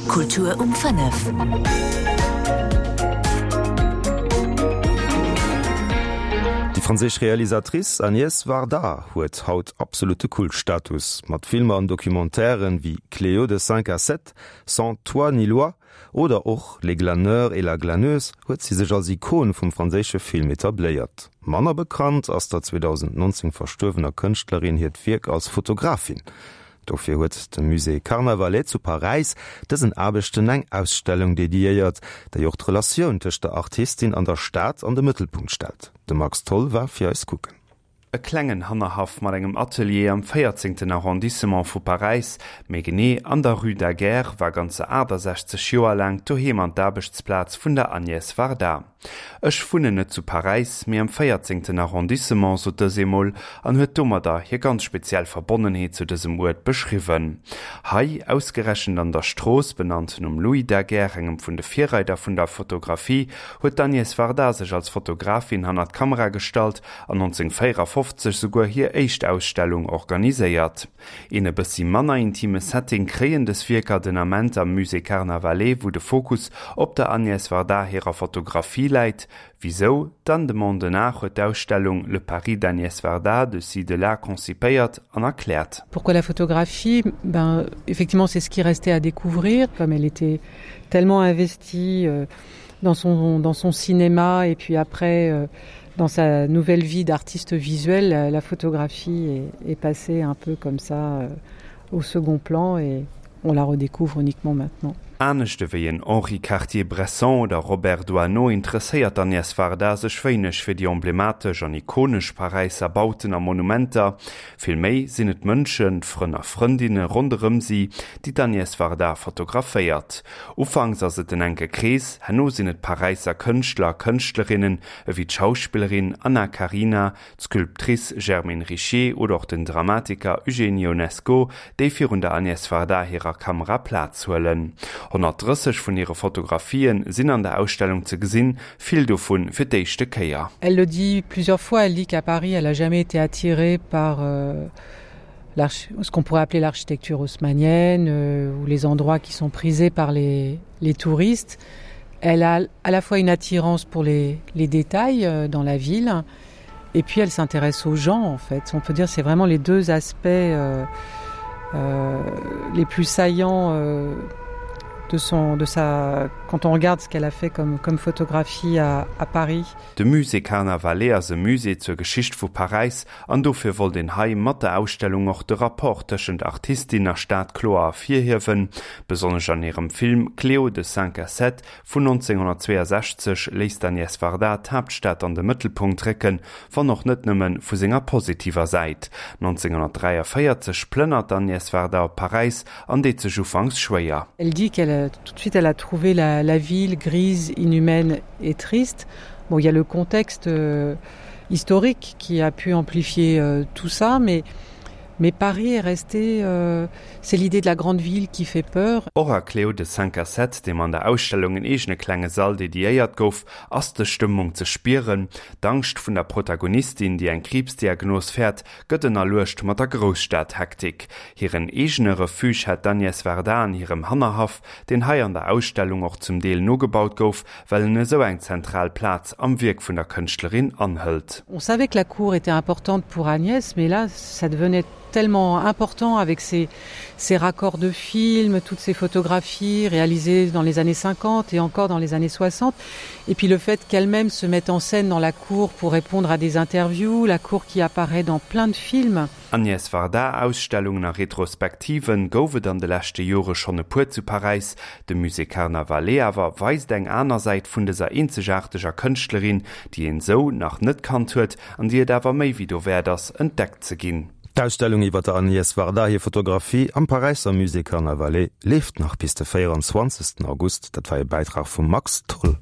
Kultur um 5. Déi franséisch Realisatrice Agnès Varda huet haut absolutte Kultstatus. Mat Filmer an Documentairen wéi Cléo de cinq à sept, Sans toit ni loi oder och Les Glaneurs et la Glaneuse huet si sech als Ikon vum franséische Film etabléiert. Manner bekannt ass der 2019 verstuerwener Kënschtlerin hiert Wierk als Fotografin. Dofir huet de Musée Carnavalet zu Paräis dësen Aarbechten eng Ausstellung dediéiert, déi och d'Relatioun tëscht der Artistin an der Stad an de Mëttelpunkt stellt. De Max Tholl war fir eis kucken. E klengen Hannerhaff mat engem Atelier am véierzéngten Arrondissement vu Paräis, méi genee an der Rue Daguerre, war ganzer 68 Joer laang d'Doheem an d'Aarbechtsplaz vun der Agnès Varda. Ech wunnen net zu Paräis, mee am véierzéngten Arrondissement, sot dës eemol an huet domadder hir ganz speziell Verbonnenheet zu dësem Uert beschriwwen. Hei, ausgerechent an der Strooss, benannt nom Louis Daguerre, engem vun de Virreider vun der Fotografie, huet d'Agnès Varda sech als Fotografin hannert d'Kamera gestallt an 1954 souguer hir éischt Ausstellung organiséiert. Een e bëssi manner intime Setting kréien dës Wierker den Ament am Musée Carnavalet, wou de Fokus op der Agnès Varda hirer Fotografie läit. Wisou? D'Anne de Mondenard huet d'Ausstellung Le Paris d'Agnès Varda, de ci de là konzipéiert an erkläert. Pourquoi la photographie? Ben, effectivement, c'est ce qui restait à découvrir, comme elle était tellement investie euh, dans son, dans son cinéma et puis après euh, dans sa nouvelle vie d'artiste visuel, la, la photographie est, est passée un peu comme ça euh, au second plan et on la redécouvre uniquement maintenant. Anescht ewéi en Henri Cartier-Bresson oder Robert Doisneau interesséiert d'Agnès Varda sech wéineg fir déi emblematesch an ikonesch Paräisser Bauten a Monumenter. Vill méi sinn et d'Mënschen, d'Frënn a Frëndinne ronderëm si, déi d'Agnès Varda fotograféiert. Ufanks ass et en enke Krees, herno sinn et Paräisser Kënschtler a Kënschtlerinnen, ewéi d'Schauspillerin Anna Karina, d'Sculptrice Germaine Richier oder och den Dramatiker Eugène Ionesco, déi virun der Agnès Varda hirer Kamera Plaz huelen. 130 vun hire Fotografien sinn an der Ausstellung ze gesinn, vill dovun fir d'éischte Kéier. Elle le dit plusieurs fois, elle dit qu'à Paris elle a jamais été attirée par ce qu'on pourrait appeler l'architecture haussmannienne euh, ou les endroits qui sont prisés par les, les touristes. Elle a à la fois une attirance pour les, les détails euh, dans la ville et puis elle s'intéresse aux gens en fait. On peut dire c'est vraiment les deux aspects euh, euh, les plus saillants euh, de son de sa quand on regarde ce qu'elle a fait comme comme photographie à, à Paris. De Musée Carnavalet ass e Musée zur Geschicht vu Paräis an dofir wollt een hei mat der Ausstellung och de Rapport tëschent Artistin a Stad kloer ervirhiewen. Besonnesch an hirem Film Cléo de cinq à sept vun 1962 léisst d'Agnès Varda d'Haaptstad an de Mëttelpunkt récken, wann och net nëmme vu senger positiver Säit. 1943 plënnert d'Agnès Varda op Paräis an deet sech ufanks schwéier. Elle dit qu'elle tout de suite elle a trouvé la, la ville grise, inhumaine et triste. Bon, il y a le contexte euh, historique qui a pu amplifier euh, tout ça, mais mais Paris est resté euh, c'est l'idée de la grande ville qui fait peur. Och a Cléo de cinq à sept, deem an der Ausstellung en eegene klenge Sall dediéiert gouf, ass dës Stëmmung ze spieren. D'Angscht vun der Protagonistin, déi eng Kriibsdiagnos fäert, gëtt ënnerluecht mat der Grousstadhektik. Hiren eegene Refuge hätt d'Agnès Varda an hirem Hannerhaff, deen hei an der Ausstellung och zum Deel nogebaut gouf, well en esou eng zentral Plaz am Wierk vun der Kënschtlerin anhëlt. On savait que la cour était importante pour Agnès, mais là ça devenait tellement important avec ses, ses raccords de films, toutes ces photographies réalisées dans les années 50 et encore dans les années 60. Et puis le fait qu'elle-même se mette en scène dans la cour pour répondre à des interviews, la cour qui apparaît dans plein de films. Agnès Varda, Ausstellungen a Retrospektiven gouf et an de leschte Jore schonn e puer zu Paräis. De Musée Carnavalet awer weist eng aner Säit vun dëser eenzegaarteger Kënschtlerin, déi een sou nach net kannt huet an déi et awer méi wéi dowäert ass, entdeckt ze ginn. D'Ausstellung iwwer der Agnès Varda hir Fotografie am Paräisser Musée Carnavalet leeft nach bis de 24 August. Dat war e Bäitrag vum Max Tholl.